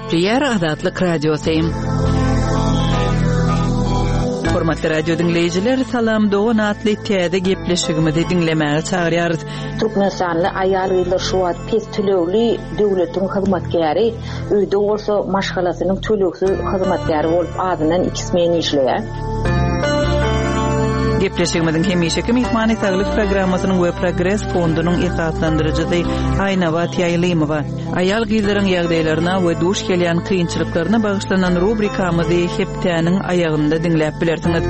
Gepleýär Azatlyk Radiosy. Hormatly radio diňleýjiler, Salam dogan atly täze gepleşigimizi diňlemäge çagyrýarys. Türkmenistanly aýal-gyzlar şu wagt pes tölegli döwletiň hyzmatkäri, öýde bolsa maşgalasynyň tölegsiz hyzmatkäri bolup azyndan iki smen işleýär. Gepleşigimiziň hemişeki myhmany Saglyk programmasynyň we Progres fondunyň esaslandyryjysy Aýnabat Ýaýlymowa. Aýal-gyzlaryň ýagdaýlaryna we duş gelýän kynçylyklaryna bagyşlanan rubrikamyzy hepdäniň aýagynda diňläp bilersiňiz.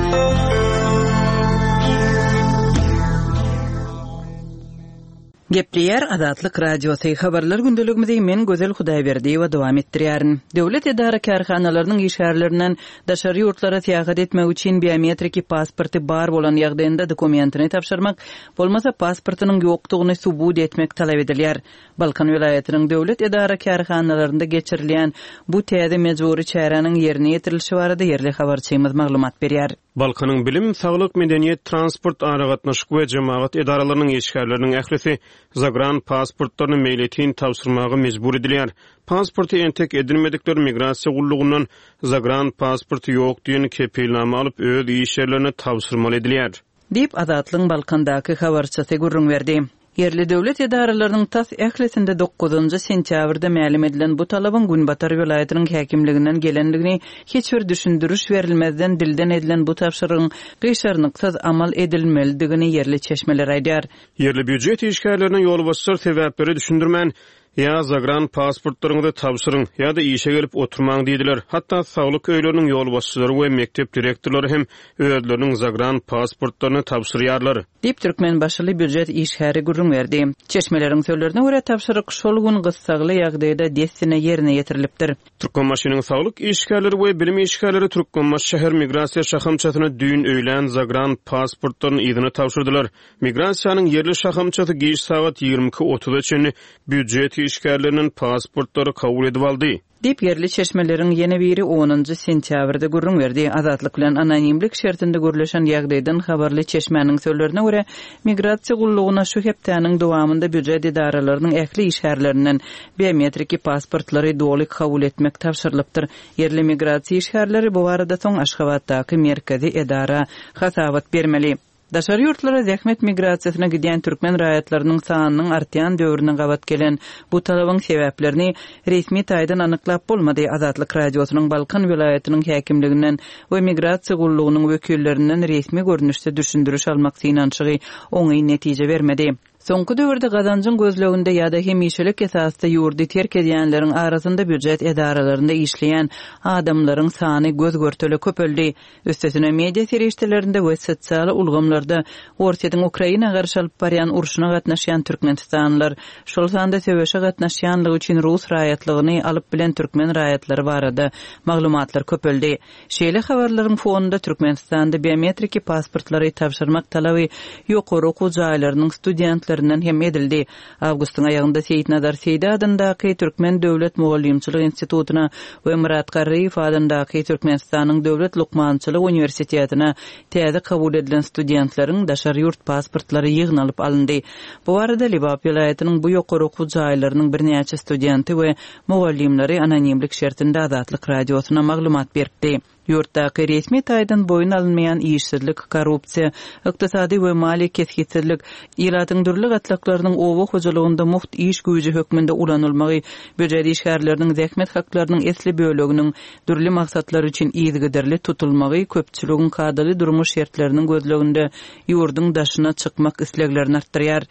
Gepleýär Azatlyk Radiosy, Habarlar gündeligimizi men Gözel Hudaýberdiýewa dowam etdirýärin. Döwlet edara-kärhanalarynyň işgärlerinden daşary ýurtlara syýahat etmek üçin biometriki pasporty bar bolan ýagdaýynda dokumentini tabşyrmak, bolmasa pasportynyň ýokdugyny subut etmek talap edilýär. Balkan welaýatynyň döwlet edara-kärhanalarynda geçirilýän bu täze mejbury çäräniň ýerine ýetirilişi barada ýerli habarçymyz maglumat berýär. Balkanyň bilim, saglyk, medeniýet, transport, aragatnaşyk we jemagat edaralarynyň işgärleriniň ählisi zagran pasportlaryny meýletin tabşyrmaga mejbur edilýär. Pasporty entek edinmedikler migrasiýa gullugyndan zagran pasporty ýok diýen kepilnama alyp, öz iş ýerlerine tabşyrmaly edilýär. Diýip, Azatlygyň Balkandaky habarçysy gürrüň berdi. Ýerli döwlet edaralarynyň tas ählisinde dokuzynjy sentýabrda mälim edilen bu talabyň günbatar welaýatynyň häkimliginden gelendigini, hiç bir düşündiriş berilmezden dilden edilen bu tabşyrygyň gyşarnyksyz amal edilmelidigini ýerli çeşmeler aýdýar. Ýerli býujet işgärlerine ýolbaşçylar sebäpleri düşündirmän, Ýa zagran pasportlaryňyzy tabşyryň, ýa-da işe gelip oturmaň diýdiler. Hatda saglyk öýleriniň ýolbaşçylary we mekdep direktorlary hem özleriniň zagran pasportlaryny tabşyrýarlar. Diýip, türkmenbaşyly býujet işgäri gürrüň berdi. Çeşmeleriň sözlerine görä, tabşyryk şol gün gyssagly ýagdaýda dessine ýerine ýetirilipdir. Türkmenbaşynyň saglyk işgärleri we bilim işgärleri Türkmenbaşy şäher migrasiýa şahamçasyna düýn öýlän zagran pasportlaryny yzyna tabşyrdylar. Migrasiýanyň ýerli şahamçasy giç sagat 22 otuza çenli býujet işgärlerinden pasportlary kabul edip aldy. Diýip, ýerli çeşmeleriň ýene biri onunjy sentýabrda gürrüň berdi. Azatlyk bilen anonimlik şertinde gürleşen ýagdaýdan habarly çeşmäniň sözlerine görä, migrasiýa gullugyna şu hepdäniň dowamynda býujet edaralarynyň ähli işgärlerinden biometriki pasportlary doly kabul etmek tabşyrylypdyr. Ýerli migrasiýa işgärleri bu barada soň Aşgabatdaky merkezi edara hasabat bermeli. Daşary ýurtlara zähmet migrasiýasyna gidýän türkmen raýatlarynyň sanynyň artýan döwrüne gabat gelen bu talabyň sebäplerini resmi taýdan anyklap bolmady. Azatlyk Radiosynyň Balkan welaýatynyň häkimliginden we migrasiýa gullugynyň wekillerinden resmi görnüşde düşündiriş almak synanyşygy oňyn netije bermedi. Soňky döwürde gazanjyň gözleginde ýa-da hemişelik esasda ýurdy terk edýänleriň arasynda býujet edaralarynda işleýän adamlaryň sany göz-görtele köpeldi. Üstesine, media serişdelerinde we sosial ulgamlarda Orsýetiň Ukraina garşy alyp barýan urşuna gatnaşýan türkmenistanlylar, şol sanda söweşe gatnaşýanlygy üçin rus raýatlygyny alyp bilen türkmen raýatlary barada maglumatlar köpeldi. Şeýle habarlaryň fonunda Türkmenistanda biometriki pasportlary tabşyrmak talaby ýokary okuw jaýlarynyň studentlerinden hem edildi. Awgustyň aýagynda Seýitnazar Seýdi adyndaky Türkmen döwlet mugallymçylyk institutyna we Myrat Garryýew adyndaky Türkmenistanyň döwlet lukmançylyk uniwersitetine täze kabul edilen studentleriň daşary ýurt pasportlary ýygnalyp alyndy. Bu barada Lebap welaýatynyň bu ýokary okuw jaýlarynyň birnäçe studenti we mugallymlary anonimlik şertinde Azatlyk Radiosyna maglumat beripdi. Ýurtdaky resmi taýdan boýun alynmaýan işsizlik, korrupsiýa, ykdysady we maliýe kesgitsizlik, ilatyň dürli gatlaklarynyň oba hojalygynda mugt iş güýji hökmünde ulanylmagy, býujet işgärleriniň zähmet haklarynyň esli böleginiň dürli maksatlar üçin yzygiderli tutulmagy köpçüligiň kadaly durmuş şertleriniň gözleginde ýurduň daşyna çykmak isleglerini artdyrýar.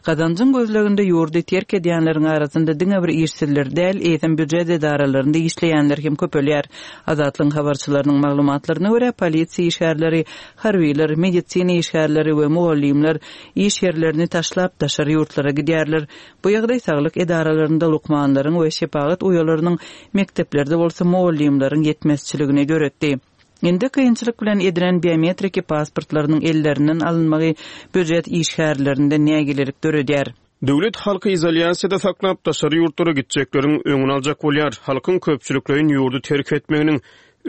Gazanjyň gözleginde ýurdy terk edýänleriň arasynda diňe bir işsizler däl, eýsem býujet edaralarynda işleýänler hem köpelýär. Azatlygyň habarçylarynyň maglumatlaryna görä, polisiýa işgärleri, harbylar, medisina işgärleri we mugallymlar iş ýerlerini taşlap, daşary ýurtlara gidýärler. Bu ýagdaý saglyk edaralarynda lukmanlaryň we şepagat uýalarynyň, mekdeplerde bolsa mugallymlaryň ýetmezçiligini döretdi. Indi kynçylyk bilen edilen biometriki pasportlarynyň ellerinden alynmagy býujet işgärlerinde nägilelik döredýär. Döwlet halky izolýasiýada saklap, daşary ýurtlara gitjekleriň öňüni aljak bolýar. Halkyň köpçülikleýin ýurdy terk etmeginiň.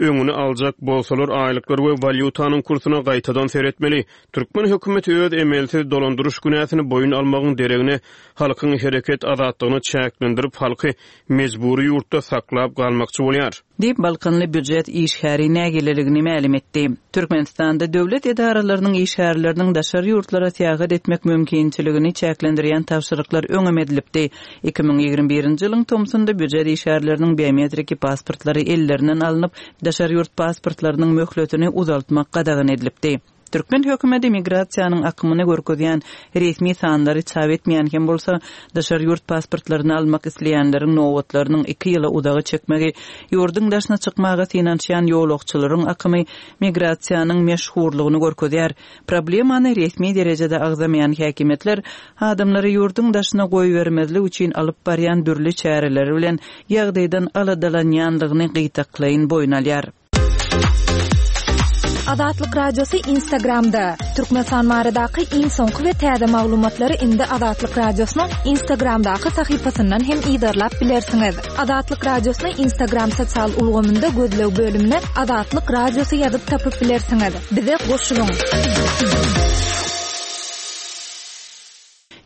öňüni aljak bolsalar, aýlyklar we walýutanyň kursuna gaýtadan seretmeli. Türkmen hökümeti öz emelsiz dolandyryş günäsini boýun almagyň deregine, halkyň hereket azatlygyny çäklendirip, halky mejbury ýurtda saklap galmakçy bolýar. Diýip, balkanly býujet işgäri nägileligini mälim etdi. Türkmenistanda döwlet edaralarynyň işgärleriniň daşary ýurtlara syýahat etmek mümkinçiligini çäklendirýän tabşyryklar öňem edilipdi. 2021-nji ýylyň tomsunda býujet işgärleriniň biometriki pasportlary ellerinden alnyp, daşary ýurt pasportlarynyň möhletini uzaltmak gadagan edilipdi. Türkmen hökümeti migrasiýanyň akymyny görkezýän resmi sanlary çap etmeýän hem bolsa, daşary ýurt pasportlaryny almak isleýänleriň nobatlarynyň iki ýyla uzaga çekmegi, ýurduň daşyna çykmaga synanyşýan ýolagçylaryň akymy migrasiýanyň meşhurlygyny görkezýär. Problemany resmi derejede agzamaýan häkimiýetler adamlary ýurduň daşyna goýbermezlik üçin alyp barýan dürli çäreleri bilen ýagdaýdan aladalanýanlygyny gytaklaýyn boýun alýar. Azatlyk Radiosy Instagramda, Türkmenistan baradaky iň soňky we täze maglumatlary indi Azatlyk Radiosynyň Instagramdaky sahypasyndan hem yzarlap bilersiňiz. Azatlyk Radiosyny Instagram sosial ulgamynda gözleg bölümine Azatlyk Radiosy ýazyp tapyp bilersiňiz. Bize goşulyň!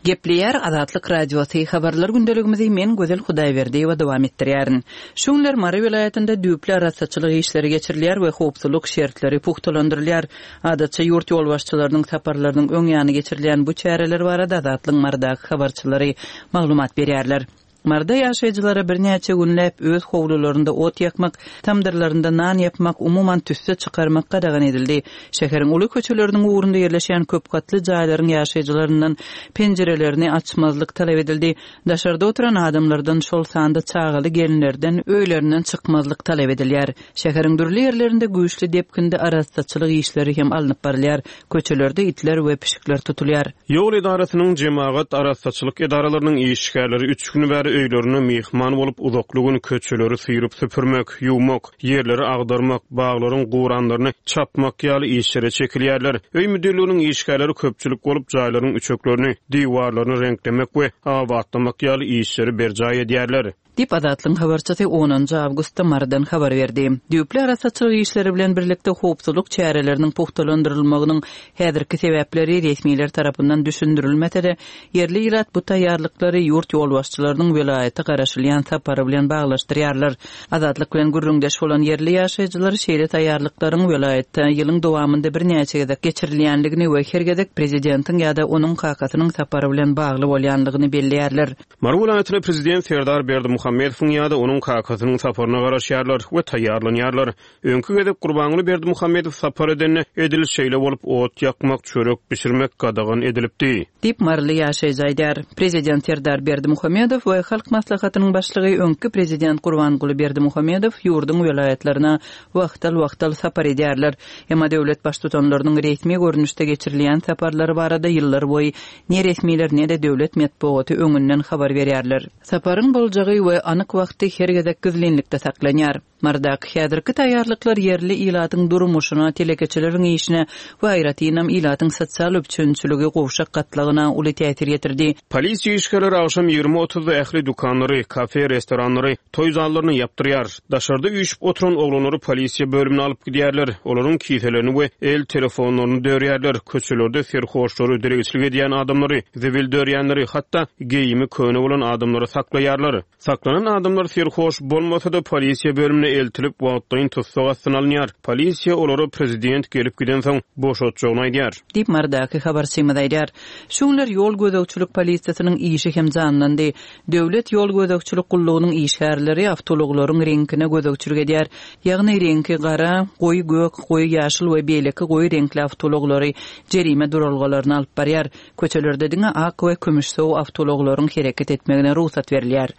Gepleýär Azatlyk Radiosy, Habarlar gündeligimizi men Gözel Hudaýberdiýewa dowam etdirýärin. Şu günler Mary welaýatynda düýpli arassaçylyk işleri geçirilýär we howpsuzlyk şertleri pugtalandyrylýar. Adatça ýurt ýolbaşçylarynyň saparlarynyň öň ýany geçirilýän bu çäreler barada Azatlygyň Marydaky habarçylary maglumat berýärler. Maryda ýaşaýjylara birnäçe günläp öz howlularynda ot ýakmak, tamdyrlarynda nan ýapmak, umuman tüsse çykarmak gadagan edildi. Şäheriň uly köçeleriniň ugrunda ýerleşýän köp gatly jaýlaryň ýaşaýjylaryndan penjirelerini açmazlyk talap edildi. Daşarda oturan adamlardan, şol sanda çagaly gelinlerden öýlerinden çykmazlyk talap edilýär. Şäheriň dürli ýerlerinde güýçli depginde arassaçylyk işleri hem alnyp barylýar. Köçelerde itler we pişikler tutulýar. Ýol edarasynyň, jemagat arassaçylyk edaralarynyň işgärleri üç gün bäri öýlerinde myhman bolup, uzakly gün köçeleri syryp-süpürmek, ýuwmak, ýerleri agdarmak, baglaryň guranlaryny çapmak ýaly işlere çekilýärler. Öý müdirliginiň işgärleri köpçülik bolup, jaýlaryň üçeklerini, diwarlaryny reňklemek we abatlamak ýaly işleri berjaý edýärler. Diýip, Azatlygyň habarçysy onunjy awgustda Marydan habar berdi. Düýpli arassaçylyk işleri bilen birlikde howpsuzlyk çäreleriniň pugtalandyrylmagynyň häzirki sebäpleri resmiler tarapyndan düşündirilmese-de, ýerli ilat bu taýýarlyklary ýurt ýolbaşçylarynyň welaýata garaşylýan sapary bilen baglaşdyrýarlar. Azatlyk bilen gürrüňdeş bolan ýerli ýaşaýjylar şeýle taýýarlyklaryň welaýatda ýylyň dowamynda birnäçe gezek geçirilýänligini we her gezek prezidentiň ýa-da onuň kakasynyň sapary bilen bagly bolýanlygyny belleýärler. Mary welaýatyna prezident Serdar Berdimuhamedowyň ýa-da onuň kakasynyň saparyna garaşýarlar we taýýarlanýarlar. Öňki gezek Gurbanguly Berdimuhamedow sapar edende, edil şeýle bolup, ot ýakmak, çörek bişirmek gadagan edilipdi. Diýip, maryly ýaşaýjy aýdýar. Prezident Serdar Berdimuhamedow we Halk Maslahatynyň başlygy, öňki prezident Gurbanguly Berdimuhamedow ýurduň welaýatlaryna wagtal-wagtal sapar edýärler. Emma döwlet baştutanlarynyň resmi görnüşde geçirilýän saparlary barada ýyllarboýy Ne resmiler, ne-de döwlet metbugaty öňünden habar berýärler. Saparyň boljagy we anyk wagty her gezek gizlinlikde saklanýar. Marydaky häzirki taýýarlyklar ýerli ilatyň durmuşyna, telekeçileriň işine we aýratynam ilatyň sosial üpjünçiligi gowşak gatlagyna uly täsir ýetirdi. Polisiýa işgärleri agşam 20 otuzda ähli dükanlary, kafe, restoranlary, toý zallaryny ýapdyrýar. Daşarda üýşüp oturan oglanlary polisiýa bölümine alyp gidýärler. Olaryň kiselerini we el telefonlaryny dörýärler. Köçelerde serhoşlary, dilegçilik edýän adamlary, zibil dörýänleri, hatda geýimi köne bolan adamlary saklaýarlar. Saklanan adamlar serhoş bolmasa-da, polisiýa bölümine eltilip, wagtlaýyn tussag astyna alynýar. Polisiýa olara prezident gelip gidensoň boşatjagyny aýdýar. Diýip, Marydaky habarçymyz aýdýar. Şu günler ýol gözegçilik polisiýasynyň işi hem janlandy. Döwlet ýol gözegçilik gullugynyň işgärleri awtoulaglaryň reňkine gözegçilik edýär. Ýagny reňki gara, goýy gök, goýy ýaşyl we beýleki goýy reňkli awtoulaglary jerime duralgalaryna alyp barýar. Köçelerde diňe ak we kümüşsow awtoulaglaryň hereket etmegine rugsat berilýär.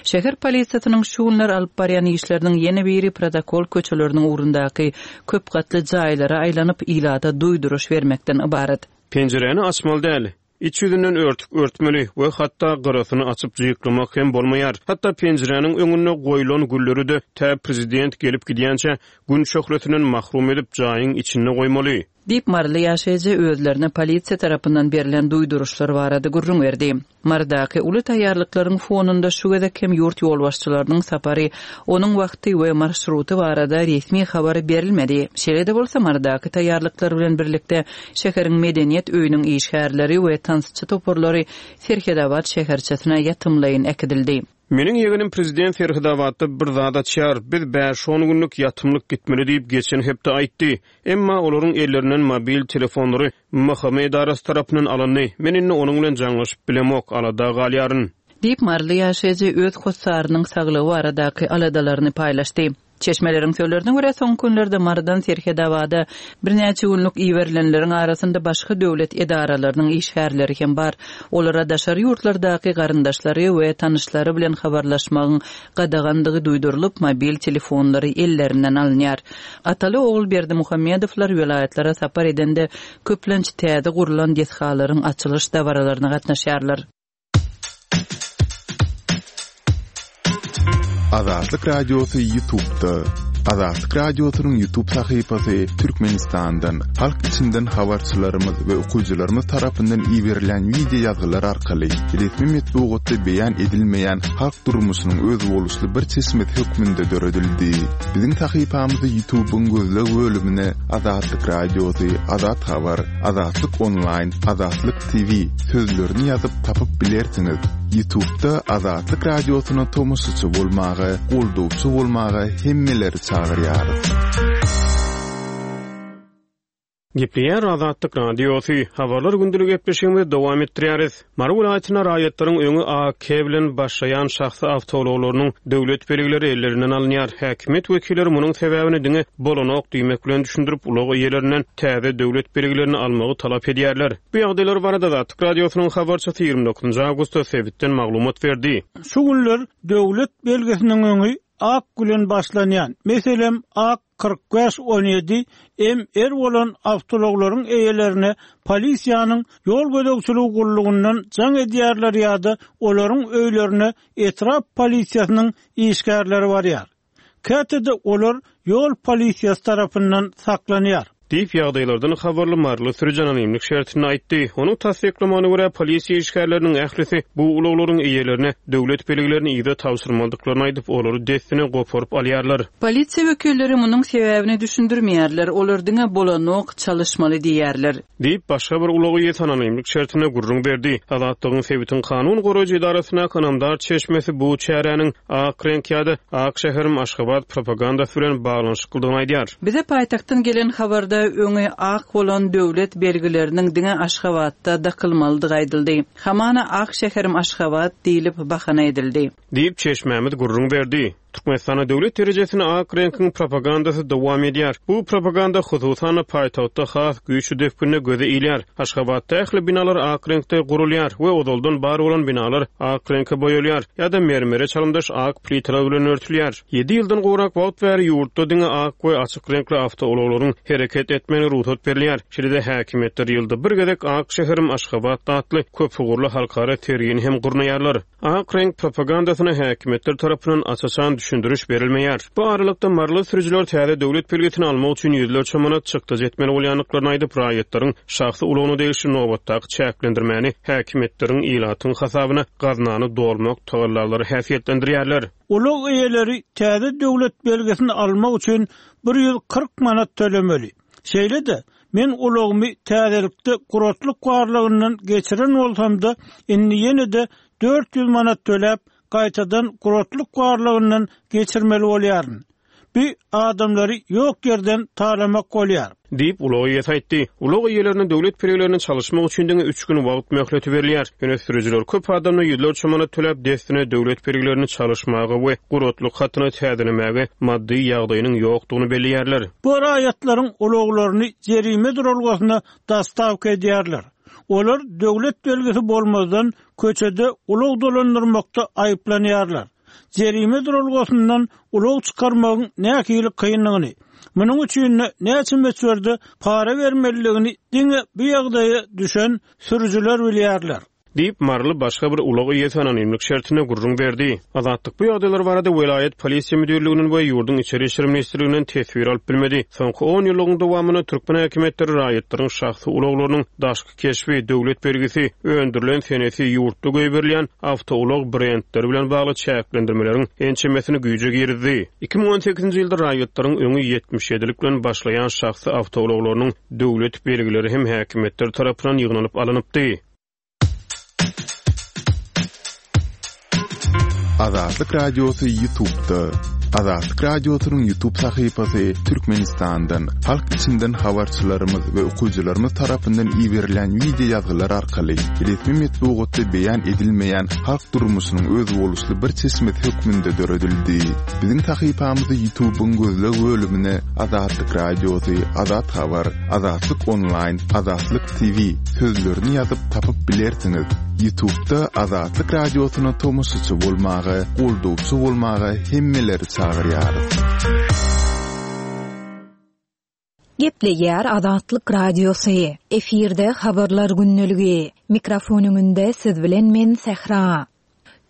Şäher polisiýasynyň şu günler alyp barýan işleriniň ýene biri protokol köçeleriniň ugrundaky köp gatly jaýlara aýlanyp, ilata duýduryş bermekden ybarat. Penjiräni açmaly däl. Iç ýüzünden örtük örtmeli we hatda gyrasyny açyp jyklamak hem bolmaýar. Hatda penjiräniň öňünde goýlan gülleri-de tä prezident gelip gidýänçä Gün şöhlesinden mahrum edip jaýyň içinde goýmaly. Diýip, maryly ýaşaýjy özlerine polisiýa tarapyndan berlen duýduryşlar barada gürrüň berdi. Marydaky uly taýýarlyklaryň fonunda şu gezek hem ýurt ýolbaşçylarynyň sapary, onuň wagty we marşruty barada resmi habar berilmedi. Şeýle-de bolsa, Marydaky taýýarlyklar bilen birlikde şäheriň Medeniýet öýüniň işgärleri we tansçy toparlary Serhedabat şäherçesine ýatymlaýyn äkidildi. Meniň ýegenim prezident Serhedabatda bir zat açýar, biz bäş-on günlük ýatymlyk gitmeli diýip geçen hepde aýtdy. Emma olaryň ellerinden mobil telefonlary MHM edarasy tarapyndan alyndy. Men indi onuň bilen jaňlaşyp bilemok, alada galýaryn. Diýip, maryly ýaşaýjy öz hossarynyň saglygy baradaky aladalaryny paýlaşdy. Çeşmeleriň sözlerine görä, soňky günlerde Marydan Serhedabada birnäçe günlük iberilenleriň arasynda başga döwlet edaralarynyň işgärleri hem bar. Olara daşary ýurtlardaky garyndaşlary we tanyşlary bilen habarlaşmagyň gadagandygy duýdurylyp, mobil telefonlary ellerinden alynýar. Ataly-ogul Berdimuhamedowlar welaýatlara sapar edende, köplenç täze gurlan desgalaryň açylyş dabaralaryna gatnaşýarlar. Azatlyk Radiosy YouTube'da. Azatlyk Radiosynyň YouTube sahypasy Türkmenistandan, halk içinden habarçylarymyz we okyjylarymyz tarapyndan iberilen wideo ýazgylar arkaly resmi metbugatda beýan edilmeýän halk durmuşynyň özboluşly bir çeşmesi hökmünde döredildi. Biziň sahypamyzy YouTube'yň gözleg bölümine Azatlyk Radiosy, Azat Habar, Azatlyk Onlaýn, Azatlyk TV sözlerini ýazyp tapyp bilersiňiz. Ýutubda Azatlyk Radiosyna tomaşaçy bolmaga, goldawçy bolmaga hemmeleri çagyrýarys. Gepleýär Azatlyk Radiosy, Habarlar gündelik gepleşigimizi dowam etdirýäris. Mary welaýatynda raýatlaryň öňi AK bilen başlaýan şahsy awtoulaglarynyň döwlet belgileri ellerinden alynýar. Häkimiýet wekilleri munuň sebäbini diňe bolanok diýmek bilen düşündirip, ulag eýelerinden täze döwlet belgilerini almagy talap edýärler. Bu ýagdaýlar barada Azatlyk Radiosynyň habarçysy 29 awgustda sebitden maglumat berdi. Şu günler döwlet belgisiniň öňi ak bilen başlanýan, meselem, ak 45 17 MR bolan awtoulaglaryň eýelerine polisiýanyň ýol gözegçiligi gullugyndan jaň edýärler ýa-da olaryň öýlerine etrap polisiýasynyň işgärleri barýar. Käte-de olar ýol polisiýasy tarapyndan saklanýar. Diýip, ýagdaýlardan habarly maryly sürüji anonimlik şertinde aýtdy. Onuň tassyklamagyna görä, polisiýa işgärleriniň ählisi bu ulaglaryň eýelerine döwlet belgilerini yza tabşyrmalydyklaryny aýdyp, olary dessine goparyp alýarlar. Polisiýa wekilleri munuň sebäbini düşündirmeýärler, olar diňe bolanok, çalyşmaly diýýärler. Diýip, başga bir ulag eýesi anonimlik şertinde gürrüň berdi. Azatlygyň sebitiň kanun goraýjy edarasyndaky ynamdar çeşmesi bu çäräniň ak reňk ýa-da Ak şäherim Aşgabat propagandasy bilen baglanyşyklydygyny aýdýar. Bize paýtagtdan gelen habarda öňi ak bolan döwlet belgileriniň diňe Aşgabatda dakylmalydygy aýdyldy. Hamana Ak şäherim Aşgabat diýlip bahana edildi. Diýip, çeşmämiz gürrüň berdi. Türkmenistanda döwlet derejesinde ak reňkiň propagandasy dowam edýär. Bu propaganda, hususan-da, paýtagtda has güýçli depginde göze ilýär. Aşgabatda ähli binalar ak reňkde gurulýar we ozaldan bar bolan binalar ak reňke boýalýar ýa-da mermere çalymdaş ak plitalar bilen örtülýär. Ýedi ýyldan gowrak wagt bäri ýurtda diňe ak we açyk reňkli awtoulaglaryň hereket etmegine rugsat berilýär. Şeýle-de häkimiýetler ýylda bir gezek Ak şäherim Aşgabat atly köpugurly halkara sergini hem gurnaýarlar. Ak reňk propagandasyna häkimiýetler tarapyndan aç-açan düşündiriş berilmeýär. Bu aralykda, maryly sürüjiler täze döwlet belgisini almak üçin ýüzlerçe manat çykdajy etmeli bolýandyklaryny aýdyp, raýatlaryň şahsy ulagyna degişli nobatdaky çäklendirmäni häkimiýetleriň ilatyň hasabyna gaznany dolmak tagallalary häsiýetlendirýärler. Ulag eýeleri täze döwlet belgisini almak üçin 140 manat tölemeli. Şeýle-de, men ulagymy täzelikde guratlyk barlagyndan geçiren bolsam-da, indi ýene-de 400 manat töläp, gaýtadan guratlyk barlagyndan geçirmeli bolýaryn. Bu adamlary ýok ýerden talamak bolýar. Diýip, ulag eýesi aýtdy. Ulag eýelerine döwlet belgilerini çalyşmak üçin diňe üç gün wagt möhleti berilýär. Ýöne sürüjiler köp adamda ýüzlerçe manat töläp, dessine döwlet belgilerini çalyşmaga we guratlyk hatyny täzelemäge maddy ýagdaýynyň ýokdugyny belleýärler. Bu raýatlaryň ulaglaryny jerime duralgasyna dostawka edýärler. Olar döwlet belgisi bolmazdan köçede ulag dolandyrmakda aýyplanýarlar. Jerime duralgasyndan ulag çykarmagyň nähili kyndygyny, munuň üçin-de näçe möçberde para bermelidigini diňe bu ýagdaýa düşen sürüjiler bilýärler. Diýip, maryly başga bir ulag eýesi anonimlik şertinde gürrüň berdi. Azatlyk bu ýagdaýlar barada welaýat polisiýa müdirliginden we ýurduň Içeri işler ministrliginden teswir alyp bilmedi. Soňky on ýyllygyň dowamynda türkmen häkimiýetleri raýatlaryň şahsy ulaglarynyň daşky keşbi, döwlet belgisi, öndürilen senesi, ýurtda goýberilýän awtoulag brendleri bilen bagly çäklendirmeleriň ençemesini güýje girizdi. 2018-nji ýylda raýatlaryň öňi 77-lik bilen başlaýan şahsy awtoulaglarynyň döwlet belgileri hem häkimiýetler tarapyndan ýygnalyp alnypdy. Azatlyk Radiosy YouTube'da. Azatlyk Radiosynyň YouTube sahypasy Türkmenistandan, halk içinden habarçylarymyz we okyjylarymyz tarapyndan iberilen wideo ýazgylar arkaly resmi metbugatda beýan edilmeýän halk durmuşynyň özboluşly bir çeşmesi hökmünde döredildi. Biziň sahypamyzy YouTube'yň gözleg bölümine Azatlyk Radiosy, Azat Habar, Azatlyk Onlaýn, Azatlyk TV sözlerini ýazyp tapyp bilersiňiz. Ýutubda Azatlyk Radiosyna tomaşaçy bolmaga, goldawçy bolmaga hemmeleri çagyrýarys. Gepleýär Azatlyk Radiosy. Efirde Habarlar gündeligi. Mikrofon öňünde siz bilen men Sähra.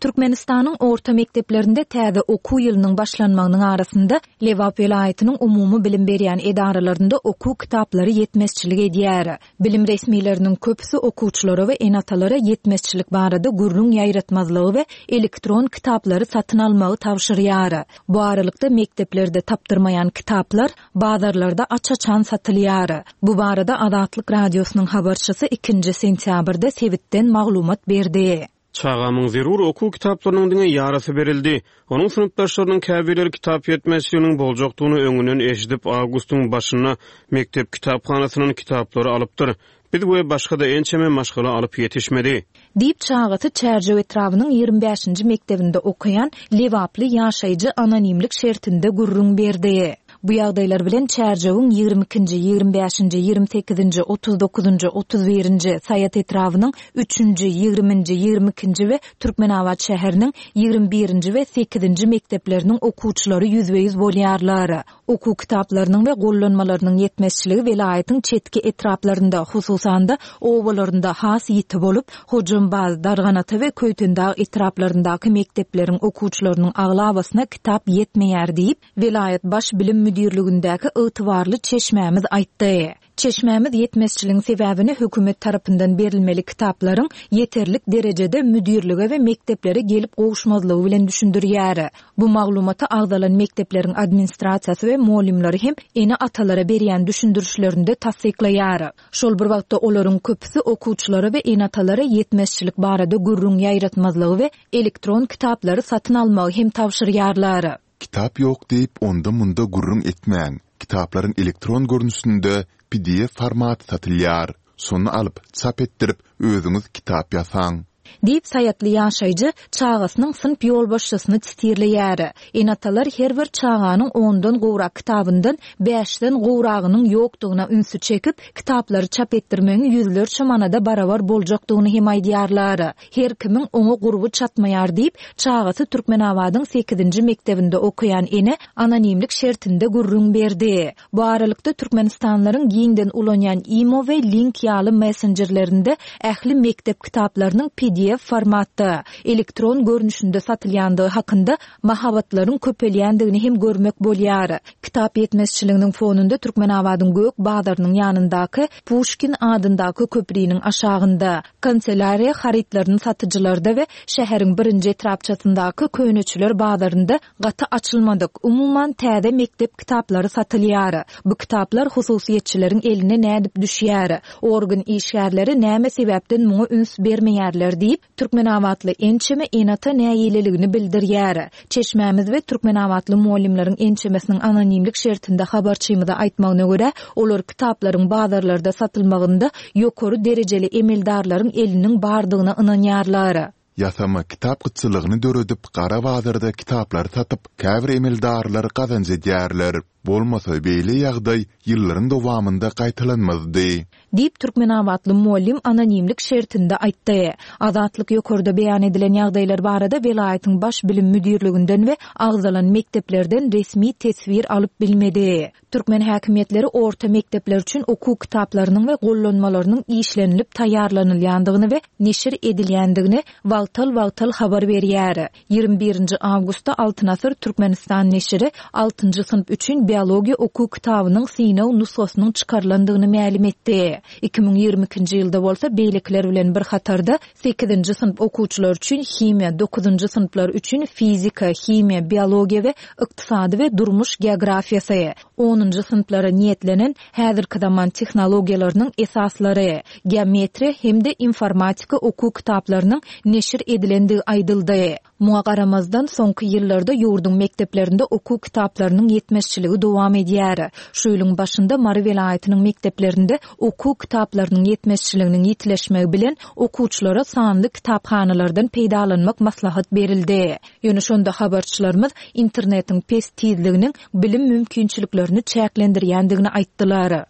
Türkmenistanyň orta mekdeplerinde täze okuw ýylynyň başlanmagynyň arasynda Lebap welaýatynyň umumy bilim berýän edaralarynda okuw kitaplary ýetmezçilik edýär. Bilim resmileriniň köpüsi okuwçylara we ene-atalara ýetmezçilik barada gürrüň ýaýratmazlygy we elektron kitaplary satyn almagy tabşyrýar. Bu aralykda mekdeplerde tapdyrmaýan kitaplar bazarlarda aç-açan satylýar. Bu barada Azatlyk Radiosynyň habarçysy ikinji sentýabrda sebitden maglumat berdi. Çagamyň zerur okuw kitaplarynyň diňe ýarysy berildi. Onuň synpdaşlarynyň käbirleri kitap ýetmezçiliginiň boljakdygyny öňünden eşidip, awgustyň başynda mekdep kitaphanasyndan kitaplary alypdyr. Biz we başga-da ençeme maşgala alyp ýetişmedi. Diýip, çagasy Çärjew etrabynyň 25-nji mekdebinde okaýan lebaply ýaşaýjy anonimlik şertinde gürrüň berdi. Bu ýagdaýlar bilen Çärjewiň 22-nji, 25-nji, 28-nji, 39-njy, 31-nji, Saýat etrabynyň üçünji, ýigriminji, 22-nji we Türkmenabat şäheriniň 21-nji we sekizinji mekdepleriniň okuwçylary ýüzbe-ýüz bolýarlar. Okuw kitaplarynyň we gollanmalarynyň ýetmezçiligi welaýatyň çetki etraplarynda, hususan-da, obalarynda has ýiti bolup, Hojambaz, Darganata we Köýtendag etraplaryndaky mekdepleriň okuwçylarynyň aglabasyna kitap ýetmeýär diýip, welaýat Baş bilim müdirligindäki ygtybarly çeşmämiz aýtdy. Çeşmämiz ýetmezçiligiň sebäbini hökümet tarapyndan berilmeli kitaplaryň ýeterlik derejede müdirlige we mekdeplere gelip gowuşmazlygy bilen düşündirýär. Bu maglumaty agzalan mekdepleriň administrasiýasy we mugallymlary hem ene-atalara berýän düşündirişlerinde tassyklaýar. Şol bir wagtda olaryň köpüsi okuwçylara we ene-atalara ýetmezçilik barada gürrüň ýaýratmazlygy we elektron kitaplary satyn almagy hem tabşyrýarlar. Kitap ýok diýip onda-munda gürrüň etmäň, kitaplaryň elektron görnüşinde pdf formaty satylýar. Şony alyp, çap etdirip, özüňiz kitap ýasaň. Diýip, saýatly ýaşaýjy çagasynyň synp ýolbaşçysyny titirleýär. Ene-atalar her bir çaganyň ondan gowrak kitabyndan bäşden gowragynyň ýokdugyna ünsi çekip, kitaplary çap etdirmegiň ýüzlerçe manada barabar boljakdygyny hem aýdýarlar. Her kimiň oňa gurby çatmaýar diýip, çagasy Türkmenabadyň sekizinji mekdebinde okaýan ene anonimlik şertinde gürrüň berdi. Bu aralykda, türkmenistanlylaryň giňden ulanýan Imo we Link ýaly messenjerlerinde ähli mekdep kitaplarynyň pdf formatda, elektron görnüşinde satylýandygy hakynda mahabatlaryň köpelýändigini hem görmek bolýar. Kitap ýetmezçiliginiň fonunda Türkmenabadyň Gök bazarynyň ýanyndaky Puşkin adyndaky köpriniň aşagynda, Kanselýariýa harytlaryny satyjylarda we şäheriň birinji etrapçasyndaky köneçiler bazarynda gaty açylmadyk, umuman täze mekdep kitaplary satylýar. Bu kitaplar hususyýetçileriň eline nädip düşýär? Organ işgärleri näme sebäpden muňa üns bermeýärler diýip, türkmenabatly ençeme ene-ata nägileligini bildirýär. Çeşmämiz we türkmenabatly mugallymlaryň ençemesiniň anonimlik şertinde habarçymyza aýtmagyna görä, olar kitaplaryň bazarlarda satylmagynda ýokary derejeli emeldarlaryň eliniň bardygyna ynanýarlar. Ýasama kitap gytçylygyny döredip, gara bazarda kitaplary satyp, käbir emeldarlar gazanç edýärler. Bolmasa beýle ýagdaý ýyllaryň dowamynda gaýtalanmazdy. Diýip, türkmenabatly mugallym anonimlik şertinde aýtdy. Azatlyk ýokarda beýan edilen ýagdaýlar barada welaýatyň Baş bilim müdirliginden we agzalan mekdeplerden resmi teswir alyp bilmedi. Türkmen häkimiýetleri orta mekdepler üçin okuw kitaplarynyň we gollanmalarynyň işlenilip taýýarlanylýandygyny we neşir edilýändigini wagtal-wagtal habar berýär. 21-nji awgustda Altyn asyr Türkmenistan neşiri altynjy synp üçin biologiýa okuw kitabynyň synag nusgasynyň çykarylandygyny mälim etdi. 2022-nji ýylda bolsa beýlekiler bilen bir hatarda sekizinji synp okuwçylary üçin himiýa, dokuzynjy synplar üçin fizika, himiýa, biologiýa we ykdysady we durmuş geografiýasy, onunjy synplara niýetlenen häzirki zaman tehnologiýalarynyň esaslary, geometriýa hem-de informatika okuw kitaplarynyň neşir edilendigi aýdyldy. Muňa garamazdan, soňky ýyllarda ýurduň mekdeplerinde okuw kitaplarynyň ýetmezçiligi dowam edýär. Şu ýylyň başynda Mary welaýatynyň mekdeplerinde okuw kitaplarynyň ýetmezçiliginiň ýitileşmegi bilen, okuwçylara sanly kitaphanalardan peýdalanmak maslahat berildi. Ýöne şonda habarçylarymyz internetiň pes tizliginiň bilim mümkinçiliklerini çäklendirýändigini aýtdylar.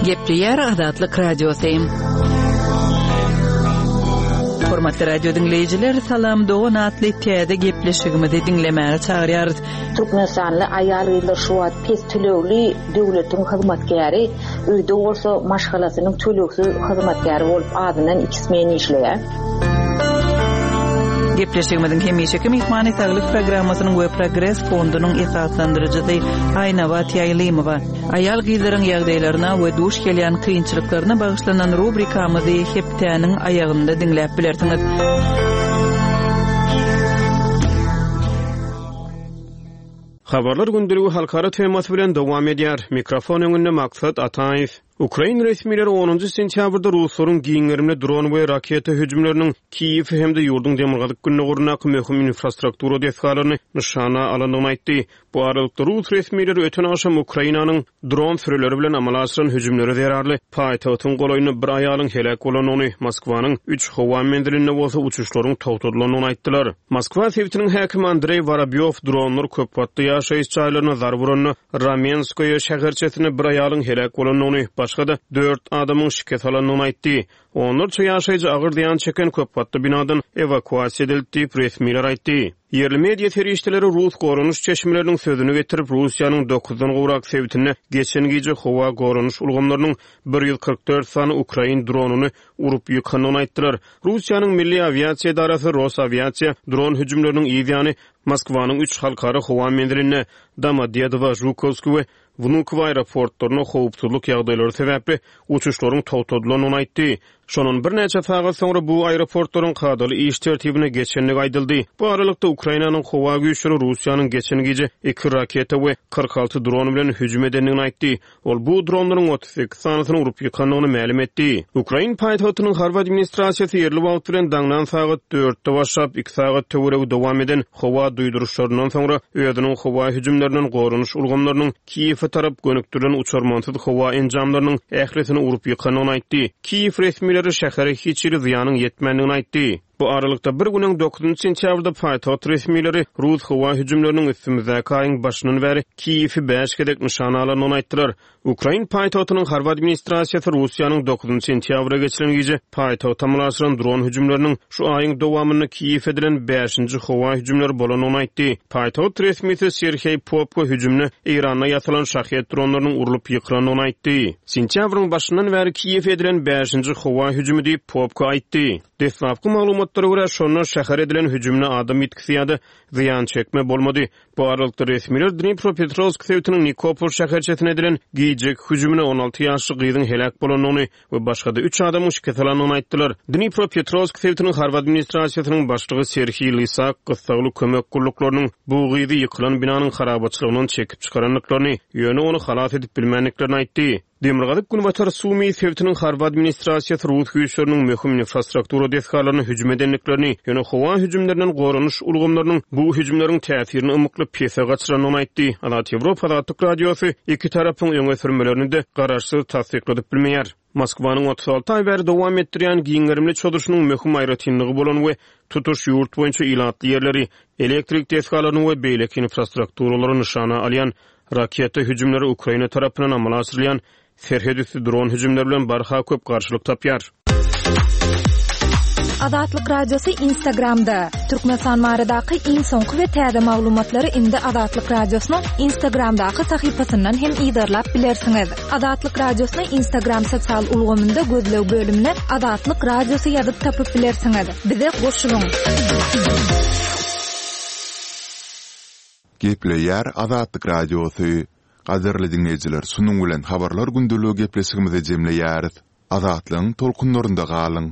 Gepleýär Azatlyk Radiosy. Hormatly radio diňleýjiler, Salam dogan atly täze gepleşigimizi diňlemäge çagyrýarys. Türkmenistanly aýal-gyzlar şu wagt pes tölegli döwletiň hyzmatkäri, öýde bolsa maşgalasynyň tölegsiz hyzmatkäri bolup azyndan iki smen işleýär. Gepleşigimiziň hemişeki myhmany Saglyk programmasynyň we Progres fondunyň esaslandyryjysy Aýnabat Ýaýlymowa. Aýal-gyzlaryň ýagdaýlaryna we duş gelýän kynçylyklaryna bagyşlanan rubrikamyzy hepdäniň aýagynda diňläp bilersiňiz. Habarlar gündeligi halkara temasy bilen dowam edýär. Mikrofon öňünde Maksat Ataýew. Ukrain resmileri onunjy sentýabrda ruslaryň giň gerimli dron we raketa hüjümleriniň Kiýewi hem-de ýurduň demirgazyk-gündogaryndaky möhüm infrastruktura desgalaryny nyşana alandygyny aýtdy. Bu aralykda, rus resmileri öten agşam Ukrainanyň dron sürüleri bilen amala aşyran hüjümleri zerarly paýtagtyň golaýynda bir aýalyň heläk bolandygyny, Moskwanyň üç howa menzilinde bolsa uçuşlaryň togtadylandygyny aýtdylar. Moskwa sebitiniň häkimi Andreý Worobýow dronlar köpgatly ýaşaýyş jaýlaryna zarba uranda Ramenskoýe şäherçesinde bir aýalyň heläk bolandygyny, başga-da dört adamyň şikes alandygyny aýtdy. Onlarça ýaşaýjy agyr zyýan çeken köpgatly binadan ewakuasiýa edildi diýip, resmiler aýtdy. Ýerli media serişdeleri rus goranyş çeşmeleriniň sözüni getirip, Russiýanyň dokuzdan gowrak sebitinde geçen gije howa goranyş ulgamlarynyň 144 sany ukrain dronyny urup ýykandygyny aýtdylar. Russiýanyň Milli awiasiýa edarasy Rosawiasiýa dron hüjümleriniň yz ýany Moskwanyň üç halkara howa menzilinde, Domodedowo, Žukowskiý we Wnukowo aeroportlarynda howpsuzlyk ýagdaýlary sebäpli uçuşlaryň togtadylandygyny aýtdy. Şondan birnäçe sagat soňra bu aeroportlaryň kadaly iş tertibine geçendigi aýdyldy. Bu aralykda, Ukrainanyň howa güýçleri Russiýanyň geçen gije iki raketa we 46 dron bilen hüjüm edendigini aýtdy. Ol bu dronlaryň 38 sanysyny urup ýykandygyny mälim etdi. Ukrain paýtagtynyň harby administrasiýasy ýerli wagt bilen daňdan sagat dörtde başlap, iki sagat töweregi dowam eden howa duýduryşlaryndan soňra özüniň howa hüjümlerinden goranyş ulgamlarynyň Kiýewe tarap gönükdirilen uçarmansyz howa enjamlarynyň ählisini urup ýykandygyny aýtdy. Kiýew resmileri şähere hiç hili zyýanyň ýetmändigini aýtdy. Bu aralykda, bir gün öň, dokuzynjy sentýabrda paýtagt resmileri rus howa hüjümleriniň üstümizdäki aýyň başyndan bäri Kiýewi bäş gezek nyşana alandygyny aýtdylar. Ukrain paýtagtynyň harby administrasiýasy Russiýanyň dokuzynjy sentýabra geçiren gije paýtagta amala aşyran dron hüjümleriniň şu aýyň dowamynda Kiýewe edilen bäşinji howa hüjümleri bolandygyny aýtdy. Paýtagt resmisi Serheý Popko hüjümde Eýranda ýasalan Şahed dronlarynyň urlup ýykylandygyny aýtdy. Sentýabryň başyndan bäri Kiýewe edilen bäşinji howa hüjümi diýip, Popko aýtdy. Deslapky maglumatlara görä, şonda şähere edilen hüjümde adam ýitgisi ýa-da zyýan çekme bolmady. Bu aralykda, resmiler Dnipropetrowsk sebitiniň Nikopol şäherçesine edilen gijeki hüjüminde 16 ýaşly gyzyň heläk bolandygyny we başga-da üç adamyň şikes alandygyny aýtdylar. Dnipropetrowsk sebitiniň harby administrasiýasynyň başlygy Serhiý Lysak gyssagly kömek gulluklarynyň bu gyzy ýykylan binanyň harabaçylygyndan çekip çykarandyklaryny, ýöne ony halas edip bilmändiklerini aýtdy. Demirgazyk-günbatar Sumy sebitiniň harby administrasiýasy rus güýçleriniň möhüm infrastruktura desgalaryna hüjüm edendiklerini, ýöne howa hüjümlerinden goranyş ulgamlarynyň bu hüjümleriň täsirini ymykly pese gaçyrandygyny aýtdy. Azat Ýewropa Azatlyk Radiosy iki tarapyň öňe sürmelerini-de garaşsyz tassykladyp bilmeýär. Moskwanyň 36 aý bäri dowam etdirýän giň gerimli çozuşynyň möhüm aýratynlygy bolan we tutuş ýurt boýunça ilatly ýerleri, elektrik desgalaryny we beýleki infrastrukturalary nyşana alýan raketa hüjümleri Ukraina tarapyndan amala aşyrylýan serhetüsti dron hüjümleri bilen barha köp garşylyk tapýar. Azatlyk Radiosy Instagramda, Türkmenistan baradaky iň soňky we täze maglumatlary indi Azatlyk Radiosynyň Instagramdaky sahypasyndan hem yzarlap bilersiňiz. Azatlyk Radiosyny Instagram sosial ulgamynda gözleg bölümine Azatlyk Radiosy ýazyp tapyp bilersiňiz. Bize goşulyň! Gepleýär Azatlyk Radiosy. Gadyrly diňleýjiler şunuň bilen Habarlar gündeligi gepleşigimizi jemleýäris. Azatlygyň tolkunlarynda galyň!